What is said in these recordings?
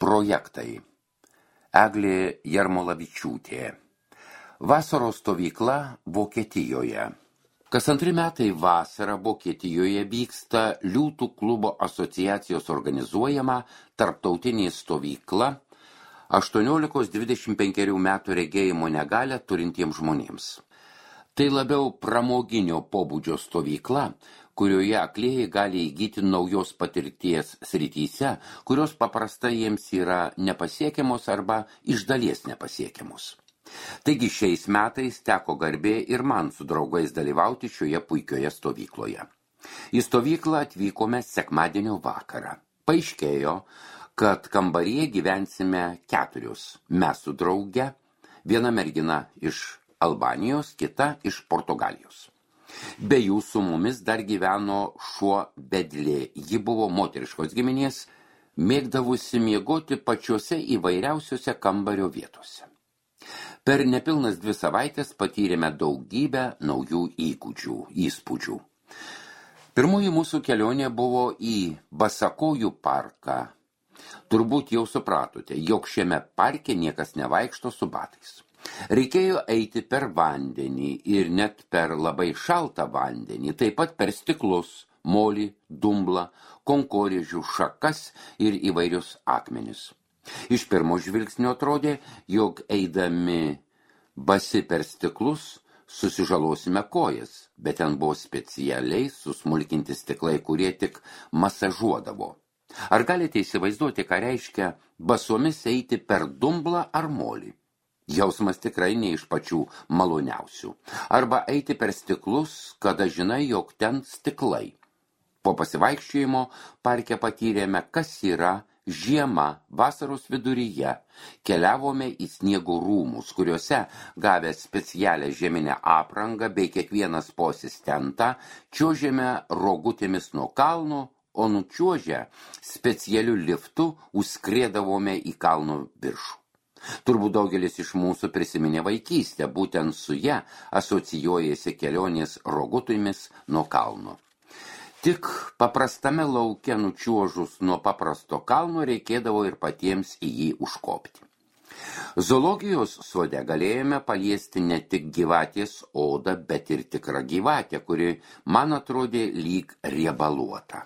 Projektai. Eglė Jarmolavičiūtė. Vasaros stovykla Vokietijoje. Kas 2 metai vasarą Vokietijoje vyksta Liūtų klubo asociacijos organizuojama tarptautinė stovykla 18-25 metų regėjimo negalią turintiems žmonėms. Tai labiau pramoginio pobūdžio stovykla, kurioje aklieji gali įgyti naujos patirties srityse, kurios paprastai jiems yra nepasiekiamos arba iš dalies nepasiekiamos. Taigi šiais metais teko garbė ir man su draugais dalyvauti šioje puikioje stovykloje. Į stovyklą atvykome sekmadienio vakarą. Paaiškėjo, kad kambaryje gyvensime 4. Mes su drauge, viena mergina iš Albanijos, kita iš Portugalijos. Be jų su mumis dar gyveno šuo Bedlė. Ji buvo moteriškos giminės, mėgdavusi miegoti pačiose įvairiausiose kambario vietose. Per nepilnas 2 savaitės patyrėme daugybę naujų įspūdžių. Pirmoji mūsų kelionė buvo į Basakojų parką. Turbūt jau supratote, jog šiame parke niekas nevaikšto su batais. Reikėjo eiti per vandenį ir net per labai šaltą vandenį, taip pat per stiklus, molį, dumblą, konkorėžių šakas ir įvairius akmenis. Iš pirmo žvilgsnio atrodė, jog eidami basi per stiklus susižalosime kojas, bet ten buvo specialiai susmulkinti stiklai, kurie tik masažuodavo. Ar galite įsivaizduoti, ką reiškia basomis eiti per dumblą ar molį? Jausmas tikrai ne iš pačių maloniausių. Arba eiti per stiklus, kada žinai, jog ten stiklai. Po pasivaikščiojimo parke patyrėme, kas yra žiema vasaros viduryje. Keliavome į sniego rūmus, kuriuose, gavę specialią žieminę aprangą bei kiekvienas po asistentą, čiuožėme rogutėmis nuo kalno, o nučiuožę specialiu liftu užskriedavome į kalno viršų. Turbūt daugelis iš mūsų prisiminė vaikystę, būtent su ja asocijuojasi kelionės rogutomis nuo kalno. Tik paprastame lauke nučiuožus nuo paprasto kalno reikėdavo ir patiems į jį užkopti. Zoologijos sode galėjome paliesti ne tik gyvatės odą, bet ir tikrą gyvatę, kuri man atrodė lyg riebaluota.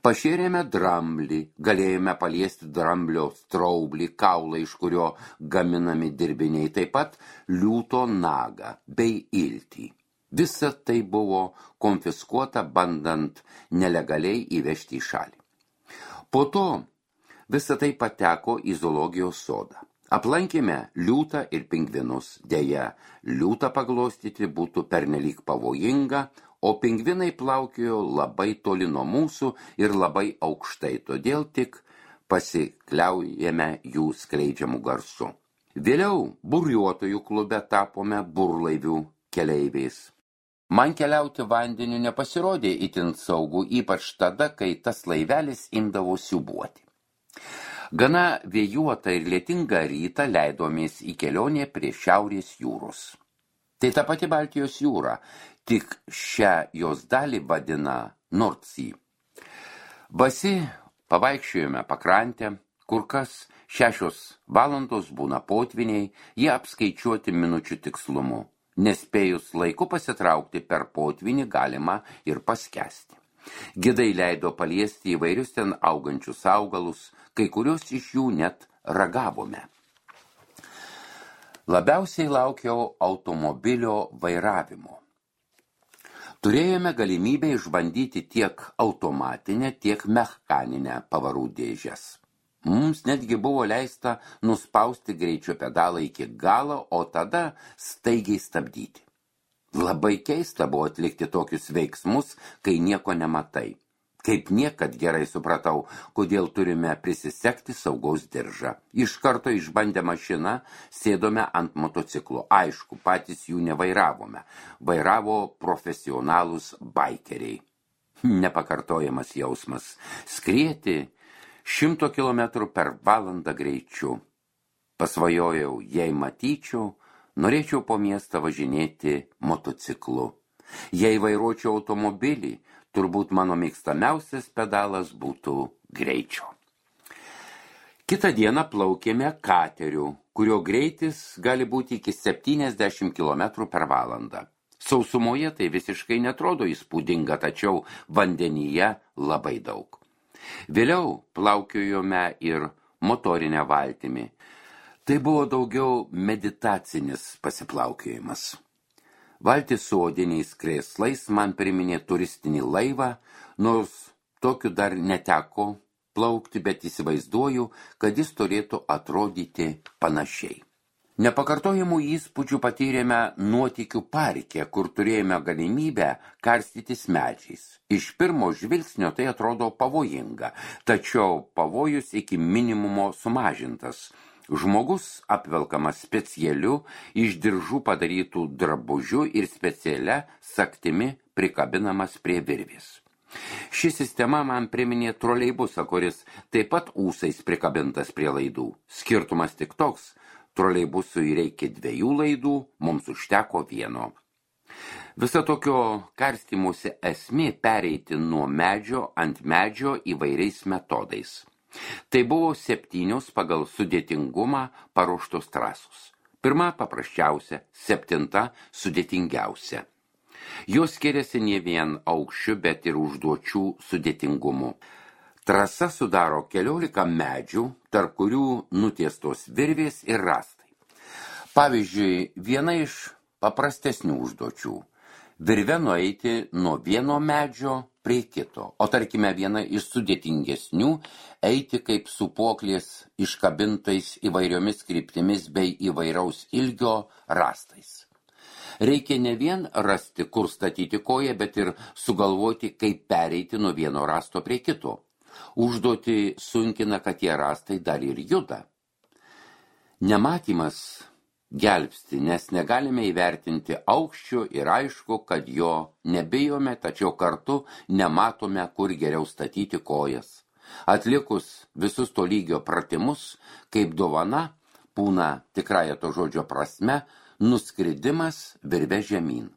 Pašėrėme dramblį, galėjome paliesti dramblio straublį, kaulą, iš kurio gaminami dirbiniai, taip pat liūto nagą bei iltį. Visa tai buvo konfiskuota, bandant nelegaliai įvežti į šalį. Po to visa tai pateko į zoologijos sodą. Aplankėme liūtą ir pingvinus. Deja, liūtą paglostyti būtų pernelyg pavojinga, o pingvinai plaukiojo labai toli nuo mūsų ir labai aukštai, todėl tik pasikliaujame jų skleidžiamų garsų. Vėliau buriuotojų klube tapome burlaivių keleiviais. Man keliauti vandeniu nepasirodė itin saugu, ypač tada, kai tas laivelis imdavo siūbuoti. Gana vėjuotą ir lietingą rytą leidomės į kelionę prie Šiaurės jūros. Tai ta pati Baltijos jūra, tik šią jos dalį vadina North Sea. Basi pavaikščiojome pakrantę, kur kas 6 valandos būna potviniai, jie apskaičiuoti minučių tikslumu. Nespėjus laiku pasitraukti per potvinį galima ir paskesti. Gidai leido paliesti įvairius ten augančius augalus, kai kurios iš jų net ragavome. Labiausiai laukiau automobilio vairavimo. Turėjome galimybę išbandyti tiek automatinę, tiek mechaninę pavarų dėžes. Mums netgi buvo leista nuspausti greičio pedalą iki galo, o tada staigiai stabdyti. Labai keista buvo atlikti tokius veiksmus, kai nieko nematai. Kaip niekad gerai supratau, kodėl turime prisisegti saugaus diržą. Iš karto išbandę mašiną, sėdome ant motociklo. Aišku, patys jų nevairavome. Vairavo profesionalūs baikeriai. Nepakartojamas jausmas. Skrieti 100 km per valandą greičiu. Pasvajojau, jei matyčiau, norėčiau po miestą važinėti motociklu. Jei vairuočiau automobilį, turbūt mano mėgstamiausias pedalas būtų greičio. Kitą dieną plaukėme kateriu, kurio greitis gali būti iki 70 km per valandą. Sausumoje tai visiškai netrodo įspūdinga, tačiau vandenyje labai daug. Vėliau plaukiojome ir motorinę valtimi. Tai buvo daugiau meditacinis pasiplaukiojimas. Valtis su odiniais krėslais man priminė turistinį laivą, nors tokiu dar neteko plaukti, bet įsivaizduoju, kad jis turėtų atrodyti panašiai. Nepakartojamų įspūdžių patyrėme nuotykių parke, kur turėjome galimybę karstytis medžiais. Iš pirmo žvilgsnio tai atrodo pavojinga, tačiau pavojus iki minimumo sumažintas. Žmogus apvelkamas specialiu iš diržų padarytų drabužių ir specialia sagtimi prikabinamas prie virvės. Ši sistema man priminė troleibusą, kuris taip pat ūsais prikabintas prie laidų. Skirtumas tik toks, troleibusui reikia 2 laidų, mums užteko 1. Visa tokio karstymosi esmė pereiti nuo medžio ant medžio įvairiais metodais. Tai buvo 7 pagal sudėtingumą paruoštos trasos. 1 paprasčiausia, 7 sudėtingiausia. Jos skiriasi ne vien aukščiu, bet ir užduočių sudėtingumu. Trasa sudaro 14 medžių, tarp kurių nutiestos virvės ir rąstai. Pavyzdžiui, viena iš paprastesnių užduočių – virve nueiti nuo vieno medžio prie kito, o tarkime viena iš sudėtingesnių – eiti kaip sūpuoklės iškabintais įvairiomis kryptimis bei įvairaus ilgio rąstais. Reikia ne vien rasti, kur statyti koją, bet ir sugalvoti, kaip pereiti nuo vieno rąsto prie kito. Užduotį sunkina, kad tie rąstai dar ir juda. Nematymas gelbsti, nes negalime įvertinti aukščio ir aišku, kad jo nebijome, tačiau kartu nematome, kur geriau statyti kojas. Atlikus visus to lygio pratimus, kaip dovana, būna tikrąja to žodžio prasme, nuskridimas virve žemyn.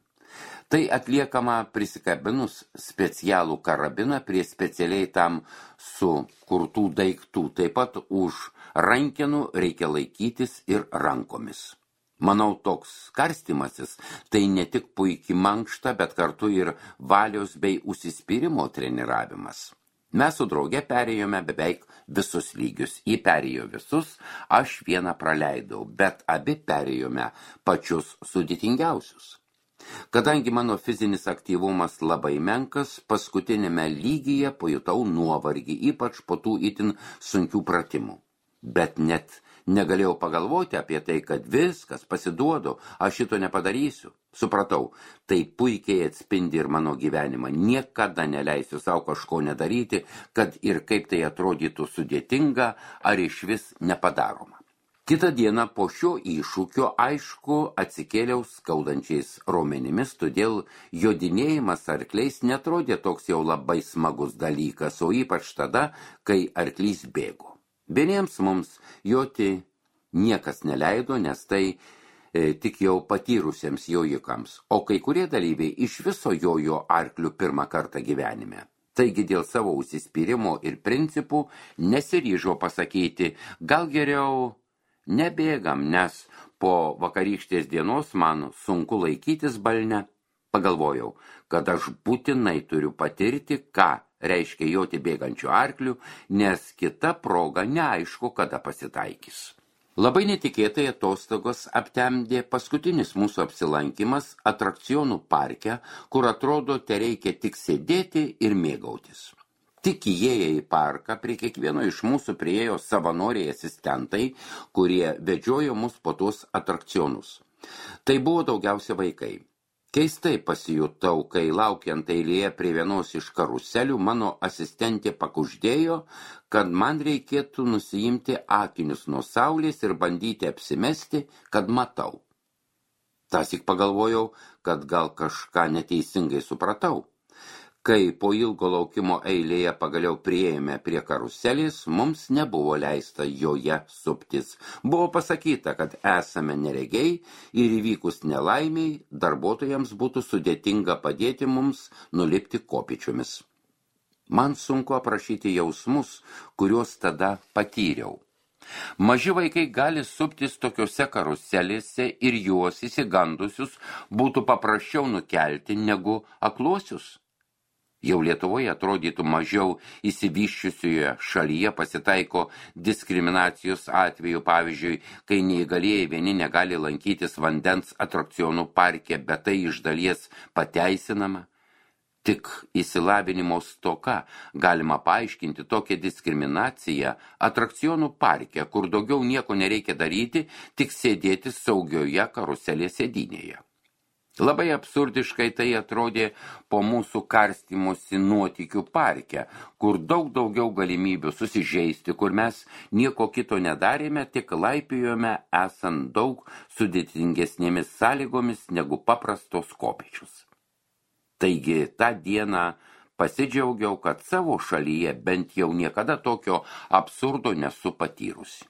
Tai atliekama prisikabinus specialų karabiną prie specialiai tam sukurtų daiktų, taip pat už rankenų reikia laikytis ir rankomis. Manau, toks karstymasis tai ne tik puikiai mankšta, bet kartu ir valios bei užsispyrimo treniravimas. Mes su drauge perėjome beveik visus lygius. Ji perėjo visus, aš vieną praleidau, bet abi perėjome pačius sudėtingiausius. Kadangi mano fizinis aktyvumas labai menkas, paskutinėme lygyje pajutau nuovargį, ypač po tų itin sunkių pratimų. Bet net negalėjau pagalvoti apie tai, kad viskas pasiduodu, aš šito nepadarysiu. Supratau, tai puikiai atspindi ir mano gyvenimą. Niekada neleisiu savo kažko nedaryti, kad ir kaip tai atrodytų sudėtinga ar išvis nepadaroma. Kitą dieną po šio iššūkio, aišku, atsikėliau skaudančiais raumenimis, todėl jodinėjimas arkliais netrodė toks jau labai smagus dalykas, o ypač tada, kai arklys bėgo. Vieniems mums joti niekas neleido, nes tai tik jau patyrusiems jojikams, o kai kurie dalyviai iš viso jojo arklių pirmą kartą gyvenime. Taigi dėl savo užsispyrimo ir principų nesiryžo pasakyti, gal geriau nebėgam, nes po vakarykštės dienos man sunku laikytis balne. Pagalvojau, kad aš būtinai turiu patirti, ką reiškia joti bėgančių arklių, nes kita proga neaišku, kada pasitaikys. Labai netikėtai atostogos aptemdė paskutinis mūsų apsilankimas atrakcionų parke, kur atrodo tereikia tik sėdėti ir mėgautis. Tik įėję į parką prie kiekvieno iš mūsų priėjo savanoriai asistentai, kurie vedžiojo mus po tuos atrakcionus. Tai buvo daugiausia vaikai. Keistai pasijutau, kai laukiant eilėje prie vienos iš karuselių mano asistentė pakuždėjo, kad man reikėtų nusiimti akinius nuo saulės ir bandyti apsimesti, kad matau. Tąsyk pagalvojau, kad gal kažką neteisingai supratau. Kai po ilgo laukimo eilėje pagaliau priėjome prie karuselės, mums nebuvo leista joje suptis. Buvo pasakyta, kad esame neregiai ir įvykus nelaimiai darbuotojams būtų sudėtinga padėti mums nulipti kopėčiomis. Man sunku aprašyti jausmus, kuriuos tada patyriau. Maži vaikai gali suptis tokiuose karuselėse ir juos įsigandusius būtų paprasčiau nukelti negu akluosius. Jau Lietuvoje atrodytų mažiau įsivyščiusioje šalyje pasitaiko diskriminacijos atveju, pavyzdžiui, kai neįgalieji vieni negali lankytis vandens atrakcionų parke, bet tai iš dalies pateisinama. Tik išsilavinimo stoka galima paaiškinti tokią diskriminaciją atrakcionų parke, kur daugiau nieko nereikia daryti, tik sėdėti saugioje karuselės sėdynėje. Labai absurdiškai tai atrodė po mūsų karstymosi nuotykių parke, kur daug daugiau galimybių susižeisti, kur mes nieko kito nedarėme, tik laipijome esant daug sudėtingesnėmis sąlygomis negu paprastos kopėčius. Taigi tą dieną pasidžiaugiau, kad savo šalyje bent jau niekada tokio absurdo nesu patyrusi.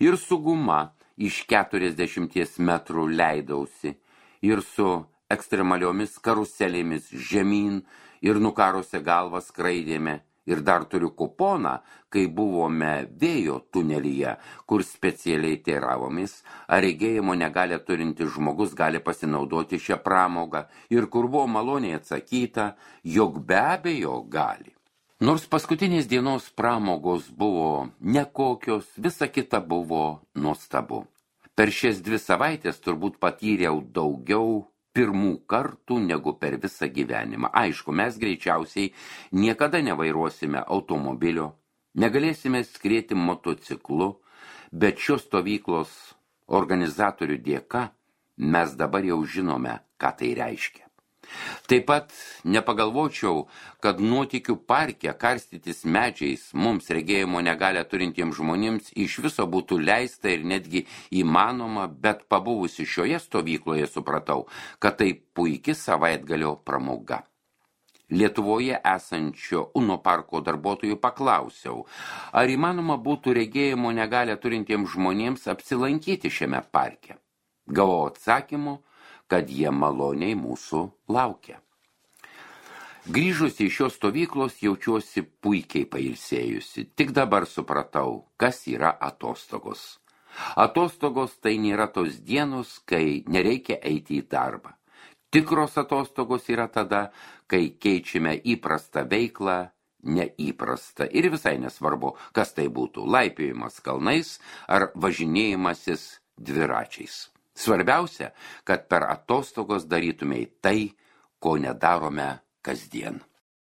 Ir su guma iš 40 metrų leidausi, ir su ekstremaliomis karuselėmis žemyn, ir nukarusią galvą skraidėme, ir dar turiu kuponą, kai buvome vėjo tunelyje, kur specialiai teiravomis, ar regėjimo negalią turintis žmogus gali pasinaudoti šią pramogą, ir kur buvo maloniai atsakyta, jog be abejo gali. Nors paskutinės dienos pramogos buvo nekokios, visa kita buvo nuostabu. Per šias 2 savaitės turbūt patyriau daugiau pirmų kartų negu per visą gyvenimą. Aišku, mes greičiausiai niekada nevairuosime automobilio, negalėsime skrieti motociklu, bet šios stovyklos organizatorių dėka mes dabar jau žinome, ką tai reiškia. Taip pat nepagalvočiau, kad nuotykių parke karstytis medžiais mums regėjimo negalią turintiems žmonėms iš viso būtų leista ir netgi įmanoma, bet pabuvusi šioje stovykloje supratau, kad tai puiki savaitgalio pramoga. Lietuvoje esančio Uno parko darbuotojų paklausiau, ar įmanoma būtų regėjimo negalią turintiems žmonėms apsilankyti šiame parke. Gavau atsakymu, kad jie maloniai mūsų laukia. Grįžusi iš šios stovyklos jaučiuosi puikiai pailsėjusi. Tik dabar supratau, kas yra atostogos. Atostogos tai nėra tos dienos, kai nereikia eiti į darbą. Tikros atostogos yra tada, kai keičiame įprastą veiklą neįprastą. Ir visai nesvarbu, kas tai būtų, laipiojimas kalnais ar važinėjimasis dviračiais. Svarbiausia, kad per atostogos darytumei tai, ko nedarome kasdien.